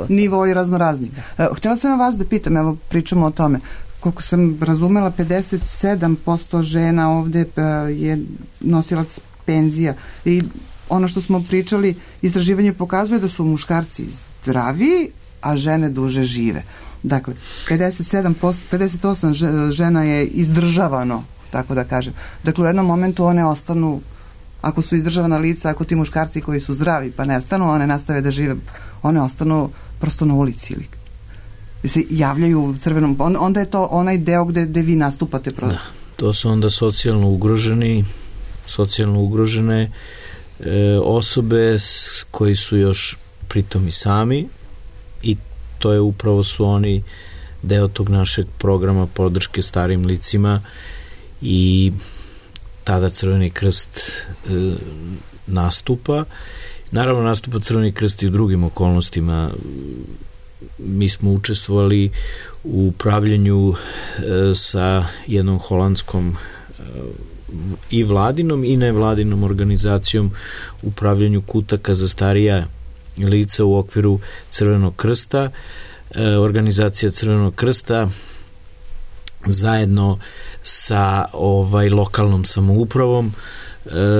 nivo i raznorazni. Htjela sam vas da pitam, evo pričamo o tome, koliko sam razumela, 57% žena ovde je nosilac penzija i ono što smo pričali, istraživanje pokazuje da su muškarci zdraviji, a žene duže žive. Dakle, 58 žena je izdržavano, tako da kažem. Dakle, u jednom momentu one ostanu, ako su izdržavana lica, ako ti muškarci koji su zdravi pa nestanu, one nastave da žive, one ostanu prosto na ulici ili se javljaju u crvenom, onda je to onaj deo gde vi nastupate. Da, to su onda socijalno ugrožene osobe koji su još pritom i sami, i to je upravo su oni deo tog našeg programa podrške starim licima, i tada Crveni krst nastupa. Naravno, nastupa Crveni krst i u drugim okolnostima. Mi smo učestvovali u upravljanju sa jednom holandskom i vladinom i nevladinom organizacijom upravljanju kutaka za starija lica u okviru Crvenog krsta. Organizacija Crvenog krsta zajedno sa lokalnom samoupravom,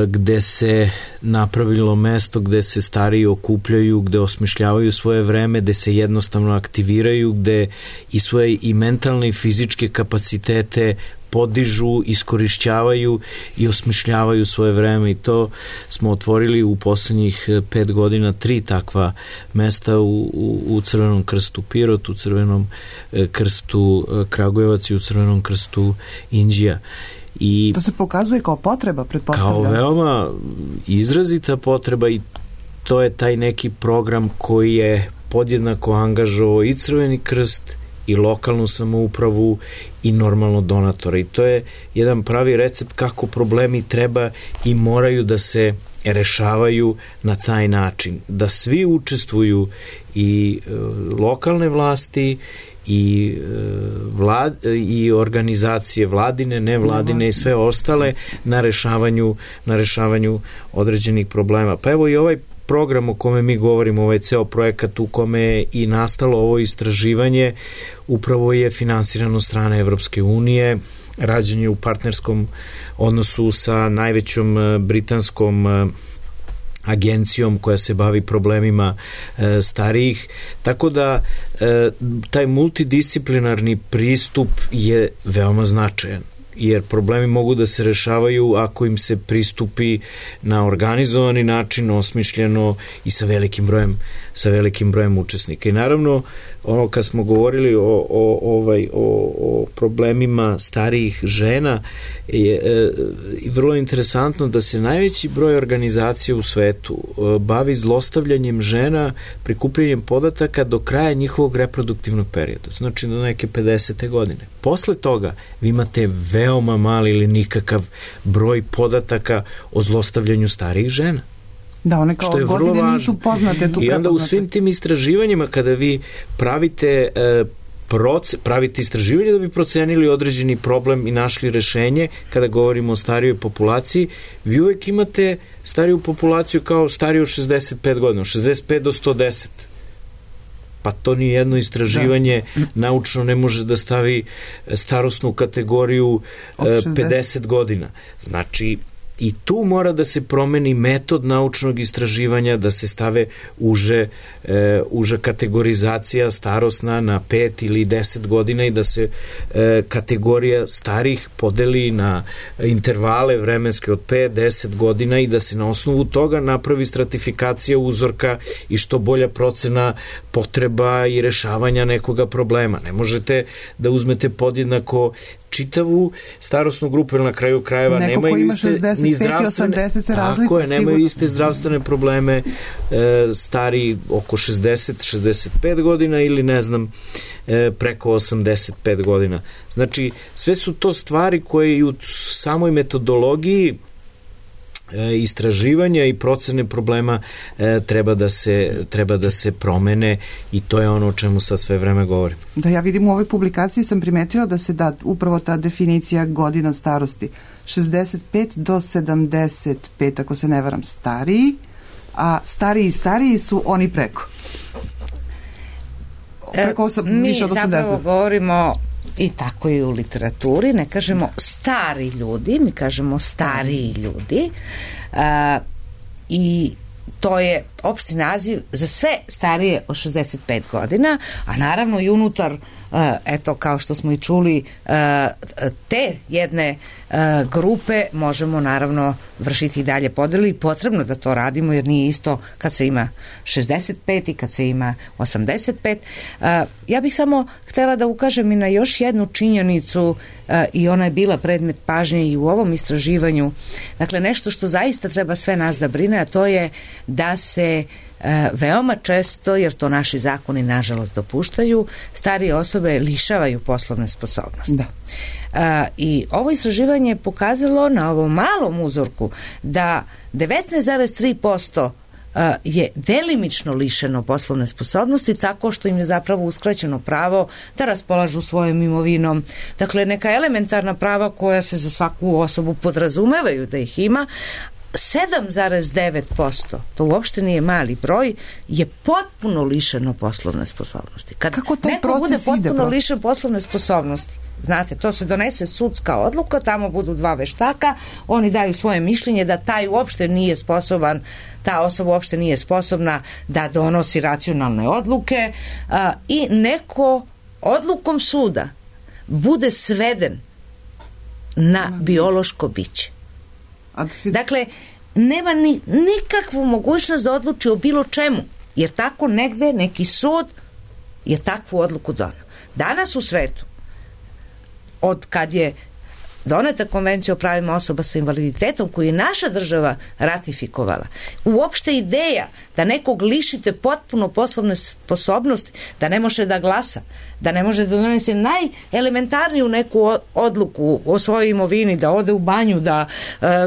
gde se napravilo mesto gde se stariji okupljaju, gde osmišljavaju svoje vreme, gde se jednostavno aktiviraju, gde i svoje i mentalne i fizičke kapacitete podižu, iskorišćavaju i osmišljavaju svoje vreme, i to smo otvorili u poslednjih 5 godina 3 takva mesta u Crvenom krstu Pirot, u Crvenom krstu Kragujevac i u Crvenom krstu Inđija. I to se pokazuje kao potreba, pretpostavljam. Kao veoma izrazita potreba, i to je taj neki program koji je podjednako angažovao i Crveni krst i lokalnu samoupravu i normalno donatora, i to je jedan pravi recept kako problemi treba i moraju da se rešavaju na taj način, da svi učestvuju, i lokalne vlasti i organizacije vladine, nevladine i sve ostale na rešavanju određenih problema. Pa evo i ovaj program o kome mi govorimo, ovaj ceo projekat u kome je i nastalo ovo istraživanje, upravo je finansirano strane Evropske unije, rađen je u partnerskom odnosu sa najvećom britanskom agencijom koja se bavi problemima starijih, tako da taj multidisciplinarni pristup je veoma značajan, jer problemi mogu da se rešavaju ako im se pristupi na organizovani način, osmišljeno i sa velikim brojem učesnika. I naravno, ono kad smo govorili o problemima starijih žena, je vrlo interesantno da se najveći broj organizacija u svetu bavi zlostavljanjem žena, prikupljanjem podataka do kraja njihovog reproduktivnog perioda, znači do neke 50. godine. Posle toga vi imate veoma mali ili nikakav broj podataka o zlostavljanju starijih žena. Da, one kao godine nisu poznate. I onda u svim tim istraživanjima, kada vi pravite istraživanje da bi procenili određeni problem i našli rešenje, kada govorimo o starijoj populaciji, vi uvek imate stariju populaciju kao stariju od 65 godina, 65 do 110. Pa to ni jedno istraživanje naučno ne može da stavi starosnu kategoriju 50 godina. Znači, i tu mora da se promeni metod naučnog istraživanja, da se stave uža kategorizacija starosna na 5 ili 10 godina i da se kategorija starih podeli na intervale vremenske od 5-10 godina i da se na osnovu toga napravi stratifikacija uzorka i što bolja procena potreba i rešavanja nekoga problema. Ne možete da uzmete podjednako čitavu starosnu grupu, jer na kraju krajeva nemaju iste ni zdravstvene, tako je, nemaju iste zdravstvene probleme stari oko 60-65 godina ili ne znam preko 85 godina. Znači, sve su to stvari koje i u samoj metodologiji istraživanja i procene problema treba da se promene, i to je ono o čemu sad sve vreme govorim. Da, ja vidim u ovoj publikaciji sam primetila da se da upravo ta definicija godina starosti 65 do 75, ako se ne varam, stariji, a stariji su oni preko. Mi više od 80. zapravo govorimo i tako i u literaturi, ne kažemo stari ljudi, mi kažemo stariji ljudi, i to je opšti naziv za sve starije od 65 godina, a naravno i unutar, eto, kao što smo i čuli, te jedne grupe možemo naravno vršiti i dalje podelu i potrebno da to radimo, jer nije isto kad se ima 65 i kad se ima 85. Ja bih samo htjela da ukažem i na još jednu činjenicu, i ona je bila predmet pažnje i u ovom istraživanju. Dakle, nešto što zaista treba sve nas da brine, a to je da se veoma često, jer to naši zakoni nažalost dopuštaju, starije osobe lišavaju poslovne sposobnosti. I ovo istraživanje je pokazalo na ovom malom uzorku da 19,3% je delimično lišeno poslovne sposobnosti tako što im je zapravo uskraćeno pravo da raspolažu svojom imovinom. Dakle, neka elementarna prava koja se za svaku osobu podrazumevaju da ih ima, 7,9%, to uopšte nije mali broj, je potpuno lišeno poslovne sposobnosti. Kad kako taj neko bude proces ide? Potpuno lišen poslovne sposobnosti, znate, to se donese sudska odluka, tamo budu dva veštaka, oni daju svoje mišljenje da taj uopšte nije sposoban, ta osoba uopšte nije sposobna da donosi racionalne odluke, i neko odlukom suda bude sveden na biološko biće. Dakle, nema nikakvu mogućnost da odluči o bilo čemu, jer tako negde neki sud je takvu odluku doneo. Danas u svetu, od kad je doneta konvencija o pravima osoba sa invaliditetom koju je naša država ratifikovala, uopšte ideja da nekog lišite potpuno poslovne sposobnosti, da ne može da glasa, da ne može da donese najelementarniju neku odluku o svojoj imovini, da ode u banju, da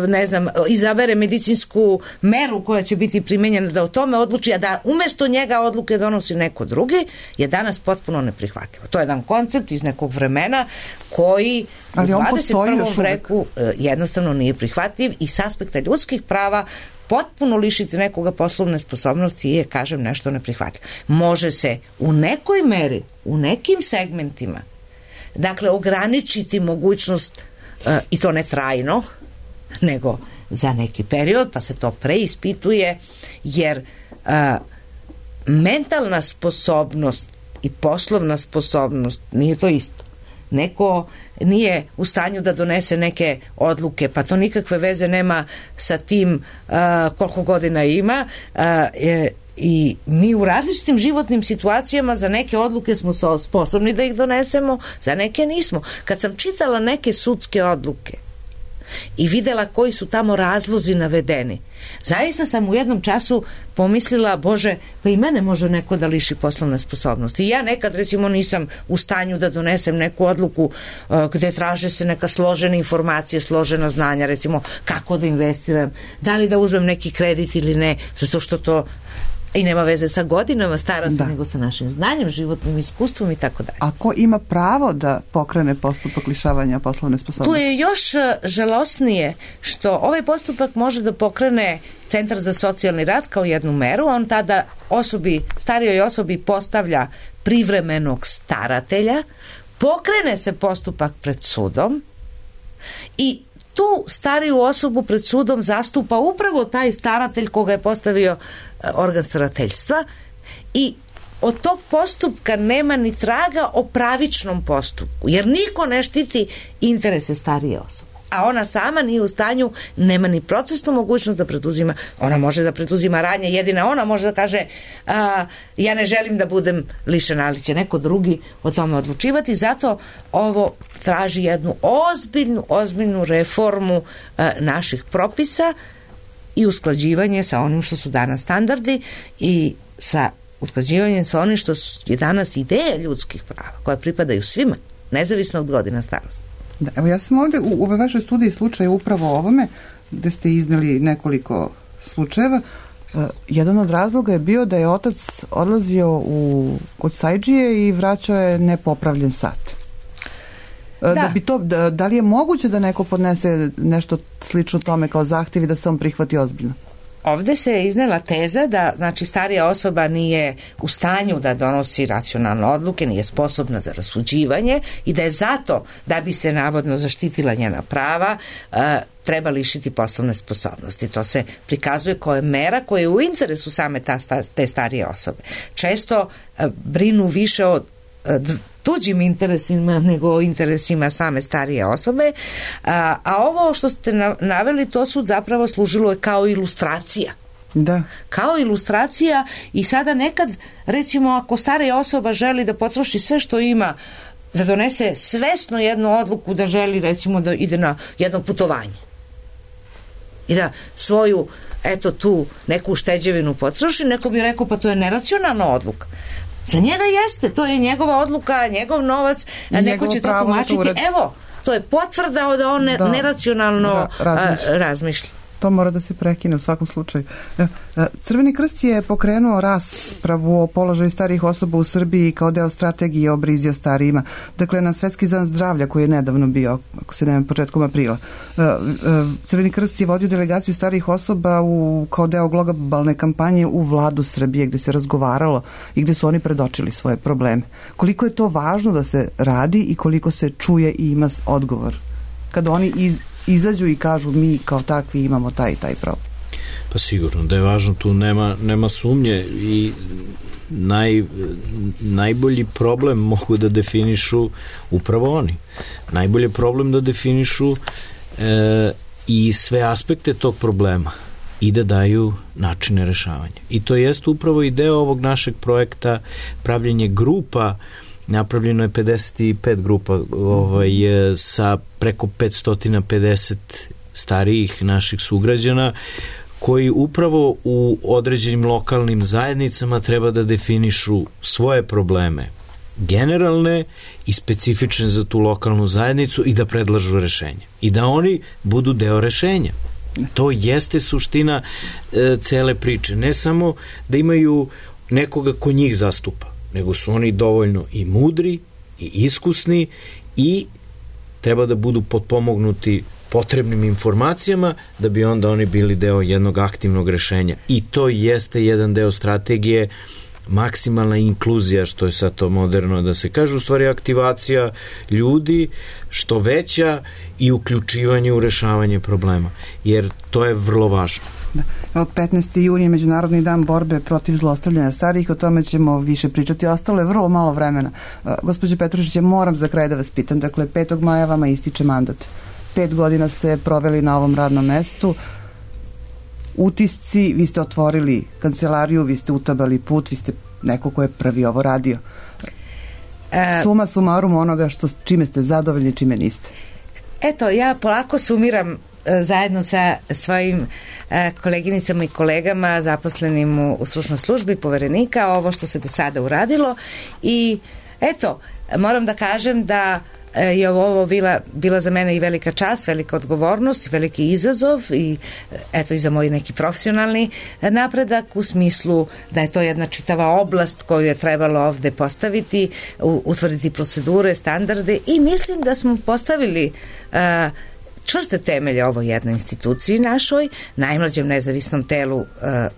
ne znam, izabere medicinsku meru koja će biti primenjena, da o tome odluči, a da umesto njega odluke donosi neko drugi, je danas potpuno neprihvatljivo. To je jedan koncept iz nekog vremena koji u 21. veku jednostavno nije prihvatljiv i s aspekta ljudskih prava potpuno lišiti nekoga poslovne sposobnosti je, kažem, nešto neprihvatljivo. Može se u nekoj meri, u nekim segmentima, dakle, ograničiti mogućnost, i to ne trajno, nego za neki period, pa se to preispituje, jer mentalna sposobnost i poslovna sposobnost nije to isto. Neko nije u stanju da donese neke odluke, pa to nikakve veze nema sa tim koliko godina ima, i mi u različitim životnim situacijama za neke odluke smo sposobni da ih donesemo, za neke nismo. Kad sam čitala neke sudske odluke i videla koji su tamo razlozi navedeni, zaista sam u jednom času pomislila, Bože, pa i mene može neko da liši poslovne sposobnosti. I ja nekad, recimo, nisam u stanju da donesem neku odluku gde traže se neka složena informacija, složena znanja, recimo kako da investiram, da li da uzmem neki kredit ili ne, zato što to i nema veze sa godinama starosti, nego sa našim znanjem, životnim iskustvom i tako dalje. A ko ima pravo da pokrene postupak lišavanja poslovne sposobnosti? Tu je još žalosnije što ovaj postupak može da pokrene Centar za socijalni rad kao jednu meru, on tada starijoj osobi postavlja privremenog staratelja, pokrene se postupak pred sudom i tu stariju osobu pred sudom zastupa upravo taj staratelj koga je postavio organ starateljstva i od tog postupka nema ni traga o pravičnom postupku, jer niko ne štiti interese starije osobe. A ona sama nije u stanju, nema ni procesnu mogućnost da preduzima, ona može da preduzima radnje, jedina ona može da kaže ja ne želim da budem lišena, ali će neko drugi o tome odlučivati, zato ovo traži jednu ozbiljnu reformu naših propisa i usklađivanje sa onim što su danas standardi i sa usklađivanjem sa onim što je danas ideja ljudskih prava, koja pripadaju svima, nezavisno od godina starosti. Da, evo ja sam ovde u ovoj vašoj studiji slučaja upravo o ovome, gde ste izneli nekoliko slučajeva. Jedan od razloga je bio da je otac odlazio kod sajđije i vraćao je nepopravljen sat. Da li je moguće da neko podnese nešto slično tome kao zahtjev i da se on prihvati ozbiljno? ovde se iznela teza da, znači, starija osoba nije u stanju da donosi racionalne odluke, nije sposobna za rasuđivanje i da je zato, da bi se navodno zaštitila njena prava, treba lišiti poslovne sposobnosti. To se prikazuje kao mera koja je u interesu same te starije osobe. Često brinu više o tuđim interesima nego o interesima same starije osobe, a ovo što ste naveli, to su zapravo služilo kao ilustracija. Da. Kao ilustracija i sada nekad, recimo, ako starija osoba želi da potroši sve što ima, da donese svesno jednu odluku da želi, recimo, da ide na jedno putovanje i da svoju, eto, tu neku ušteđevinu potroši, neko bi rekao, pa to je neracionalna odluka. Za njega jeste, to je njegova odluka, njegov novac, neko će to tumačiti. Evo, to je potvrda da on neracionalno razmišlja. To mora da se prekine u svakom slučaju. Crveni krst je pokrenuo raspravu o položaju starijih osoba u Srbiji kao deo strategije o brizi o starijima. Dakle, na Svetski dan zdravlja koji je nedavno bio, ako se ne početkom aprila. Crveni krst je vodio delegaciju starijih osoba kao deo globalne kampanje u Vladu Srbije, gde se razgovaralo i gde su oni predočili svoje probleme. Koliko je to važno da se radi i koliko se čuje i ima odgovor? Kada oni izađu i kažu mi kao takvi imamo taj i taj problem. Pa sigurno da je važno, tu nema sumnje i najbolji problem mogu da definišu upravo oni. Najbolji problem da definišu i sve aspekte tog problema i da daju načine rešavanja. I to jeste upravo i deo ovog našeg projekta, pravljenje grupa. Napravljeno je 55 grupa sa preko 550 starijih naših sugrađana koji upravo u određenim lokalnim zajednicama treba da definišu svoje probleme generalne i specifične za tu lokalnu zajednicu i da predlažu rešenje. I da oni budu deo rešenja. To jeste suština cele priče. Ne samo da imaju nekoga ko njih zastupa, nego su oni dovoljno i mudri i iskusni i treba da budu potpomognuti potrebnim informacijama da bi onda oni bili deo jednog aktivnog rešenja. I to jeste jedan deo strategije, maksimalna inkluzija, što je sad to moderno da se kaže, u stvari aktivacija ljudi što veća i uključivanje u rešavanje problema, jer to je vrlo važno. Od 15. juna je Međunarodni dan borbe protiv zlostavljanja starijih, o tome ćemo više pričati. Ostalo je vrlo malo vremena. Gospođo Petrušić, moram za kraj da vas pitam, dakle 5. maja vama ističe mandat. 5 godina ste proveli na ovom radnom mestu. Utisci, vi ste otvorili kancelariju, vi ste utabali put, vi ste neko ko je prvi ovo radio. Suma sumarum onoga čime ste zadovoljni, čime niste. Eto, ja polako sumiram zajedno sa svojim koleginicama i kolegama zaposlenim u stručnoj službi poverenika ovo što se do sada uradilo i eto, moram da kažem da je ovo bila za mene i velika čast, velika odgovornost, veliki izazov i eto i za moj neki profesionalni napredak u smislu da je to jedna čitava oblast koju je trebalo ovde postaviti, utvrditi procedure, standarde i mislim da smo postavili čvrste temelje ovoj jednoj instituciji našoj, najmlađem nezavisnom telu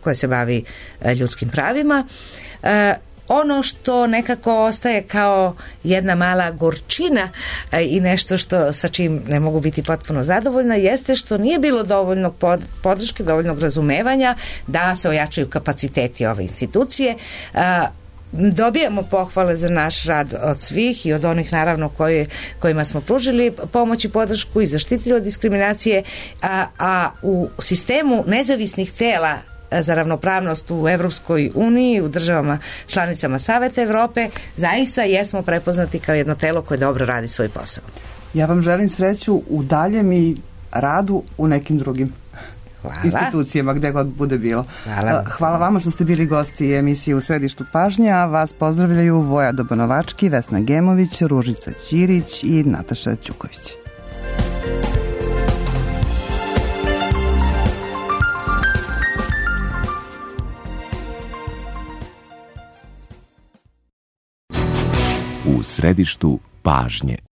koje se bavi ljudskim pravima. Ono što nekako ostaje kao jedna mala gorčina i nešto sa čim ne mogu biti potpuno zadovoljna jeste što nije bilo dovoljnog podrške, dovoljnog razumevanja da se ojačaju kapaciteti ove institucije. Dobijamo pohvale za naš rad od svih i od onih naravno kojima smo pružili pomoć i podršku i zaštitili od diskriminacije, a u sistemu nezavisnih tela za ravnopravnost u Evropskoj uniji, u državama članicama Saveta Evrope, zaista jesmo prepoznati kao jedno telo koje dobro radi svoj posao. Ja vam želim sreću u daljem i radu u nekim drugim institucijama, gde god bude bilo. Hvala vama što ste bili gosti emisije U središtu pažnje, a vas pozdravljaju Voja Dobanovački, Vesna Gemović, Ružica Ćirić i Nataša Ćuković. U središtu pažnje.